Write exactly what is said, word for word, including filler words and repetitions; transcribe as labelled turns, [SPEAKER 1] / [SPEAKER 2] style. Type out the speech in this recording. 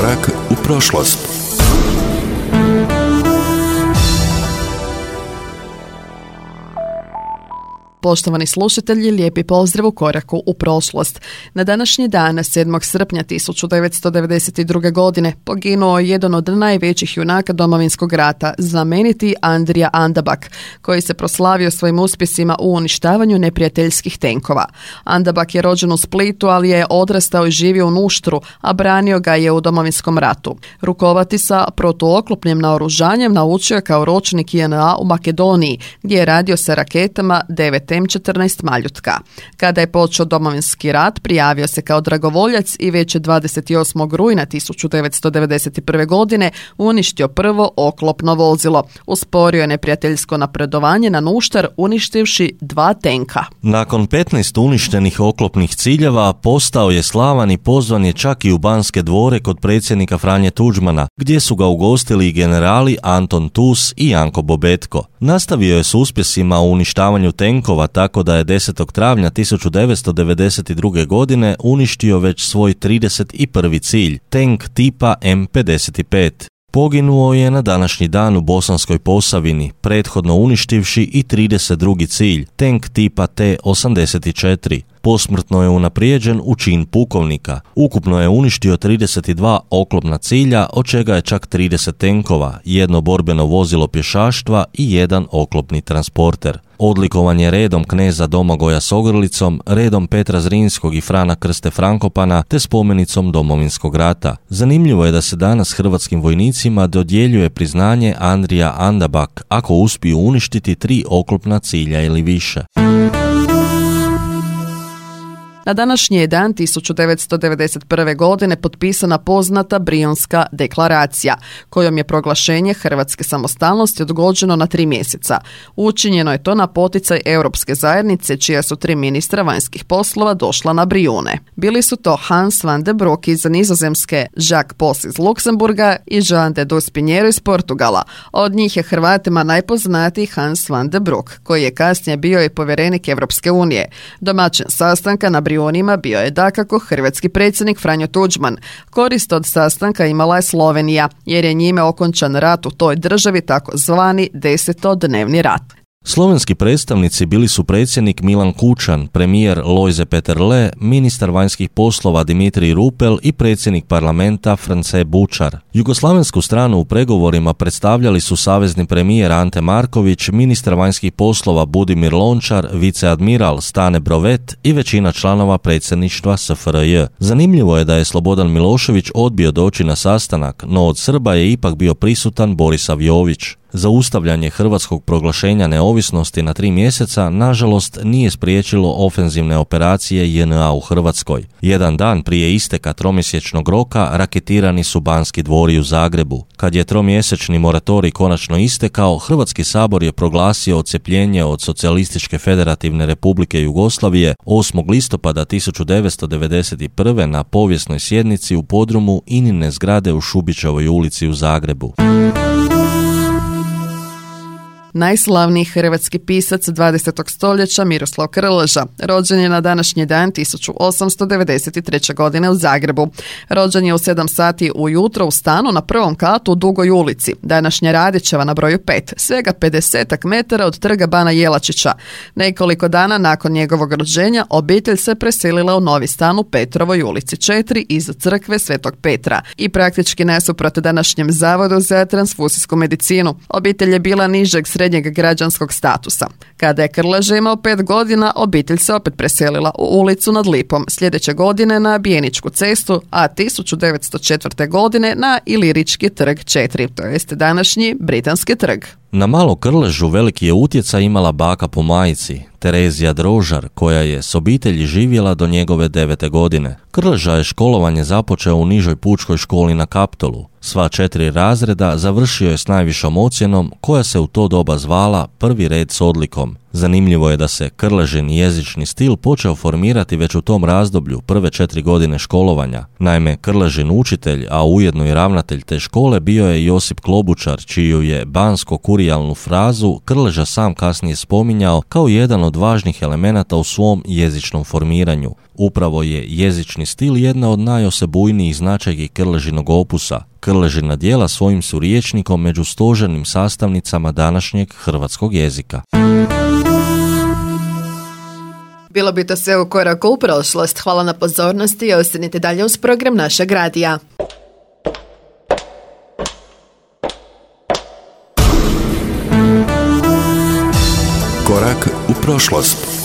[SPEAKER 1] Korak u prošlost.
[SPEAKER 2] Poštovani slušatelji, lijepi pozdrav u Koraku u prošlost. Na današnji dan, sedmog srpnja tisuću devetsto devedeset druge. godine, poginuo je jedan od najvećih junaka Domovinskog rata, znameniti Andrija Andabak, koji se proslavio svojim uspjesima u uništavanju neprijateljskih tenkova. Andabak je rođen u Splitu, ali je odrastao i živio u Nuštru, a branio ga je u Domovinskom ratu. Rukovati sa protuoklopnim naoružanjem naučio je kao ročnik J N A u Makedoniji, gdje je radio sa raketama devet M četrnaest Maljutka. Kada je počeo Domovinski rat, prijavio se kao dragovoljac i već je dvadeset osmog rujna tisuću devetsto devedeset prve. godine uništio prvo oklopno vozilo. Usporio je neprijateljsko napredovanje na Nuštar, uništivši dva tenka.
[SPEAKER 3] Nakon petnaest uništenih oklopnih ciljeva, postao je slavan i pozvan je čak i u Banske dvore kod predsjednika Franje Tuđmana, gdje su ga ugostili i generali Anton Tus i Janko Bobetko. Nastavio je s uspjesima u uništavanju tenkova, tako da je desetog travnja tisuću devetsto devedeset druge. godine uništio već svoj trideset prvi cilj, tenk tipa M pedeset pet. Poginuo je na današnji dan u Bosanskoj Posavini, prethodno uništivši i trideset drugi cilj, tenk tipa T osamdeset četiri. Posmrtno je unaprijeđen u čin pukovnika. Ukupno je uništio trideset dva oklopna cilja, od čega je čak trideset tenkova, jedno borbeno vozilo pješaštva i jedan oklopni transporter. Odlikovan je redom kneza Domagoja s ogrlicom, redom Petra Zrinskog i Frana Krste Frankopana te spomenicom Domovinskog rata. Zanimljivo je da se danas hrvatskim vojnicima dodjeljuje priznanje Andrija Andabak ako uspiju uništiti tri oklopna cilja ili više.
[SPEAKER 2] Na današnji je dan tisuću devetsto devedeset prve. godine potpisana poznata Brionska deklaracija, kojom je proglašenje hrvatske samostalnosti odgođeno na tri mjeseca. Učinjeno je to na poticaj Europske zajednice, čija su tri ministra vanjskih poslova došla na Brijune. Bili su to Hans van de Broek iz Nizozemske, Jacques Pos iz Luksemburga i Jean de Dospiniero iz Portugala. Od njih je Hrvatima najpoznatiji Hans van de Broek, koji je kasnije bio i povjerenik Europske unije. Domaćin sastanka na Brijunima bio je dakako hrvatski predsjednik Franjo Tuđman. Korist od sastanka imala je Slovenija, jer je njime okončan rat u toj državi, tako zvani desetodnevni rat.
[SPEAKER 3] Slovenski predstavnici bili su predsjednik Milan Kučan, premijer Lojze Peterle, ministar vanjskih poslova Dimitrij Rupel i predsjednik parlamenta France Bučar. Jugoslavensku stranu u pregovorima predstavljali su savezni premijer Ante Marković, ministar vanjskih poslova Budimir Lončar, viceadmiral Stane Brovet i većina članova predsjedništva S F R J. Zanimljivo je da je Slobodan Milošević odbio doći na sastanak, no od Srba je ipak bio prisutan Borisav Jović. Zaustavljanje hrvatskog proglašenja neovisnosti na tri mjeseca, nažalost, nije spriječilo ofenzivne operacije J N A u Hrvatskoj. Jedan dan prije isteka tromjesečnog roka raketirani su Banski dvori u Zagrebu. Kad je tromjesečni moratorij konačno istekao, Hrvatski sabor je proglasio odcjepljenje od Socijalističke federativne republike Jugoslavije osmog listopada tisuću devetsto devedeset prve. na povijesnoj sjednici u podrumu Inine zgrade u Šubićevoj ulici u Zagrebu.
[SPEAKER 2] Najslavniji hrvatski pisac dvadesetog stoljeća Miroslav Krleža rođen je na današnji dan tisuću osamsto devedeset treće. godine u Zagrebu. Rođen je u sedam sati ujutro u stanu na prvom katu u Dugoj ulici, današnja Radićeva na broju pet, svega pedesetak metara od trga Bana Jelačića. Nekoliko dana nakon njegovog rođenja obitelj se preselila u novi stan u Petrovoj ulici četiri iza crkve Svetog Petra i praktički nasuprot današnjem Zavodu za transfuzijsku medicinu. Obitelj je bila nižeg srednjeg građanskog statusa. Kada je Krleža imao pet godina, obitelj se opet preselila u ulicu nad Lipom, sljedeće godine na Bijeničku cestu, a tisuću devetsto četvrte. godine na Ilirički trg četiri, to jest današnji Britanski trg.
[SPEAKER 3] Na malo Krležu veliki je utjecaj imala baka po majici, Terezija Drožar, koja je s obitelji živjela do njegove devete godine. Krleža je školovanje započeo u nižoj pučkoj školi na Kaptolu. Sva četiri razreda završio je s najvišom ocjenom, koja se u to doba zvala prvi red s odlikom. Zanimljivo je da se Krležin jezični stil počeo formirati već u tom razdoblju, prve četiri godine školovanja. Naime, Krležin učitelj, a ujedno i ravnatelj te škole, bio je Josip Klobučar, čiju je bansko-kurijalnu frazu Krleža sam kasnije spominjao kao jedan od važnih elemenata u svom jezičnom formiranju. Upravo je jezični stil jedna od najosebujnijih značajki Krležinog opusa. Krležina djela svojim su rječnikom među stožernim sastavnicama današnjeg hrvatskog jezika.
[SPEAKER 2] Bilo bi to sve u koraku u prošlost. Hvala na pozornosti i ostanite dalje uz program našeg radija.
[SPEAKER 1] Korak u prošlost.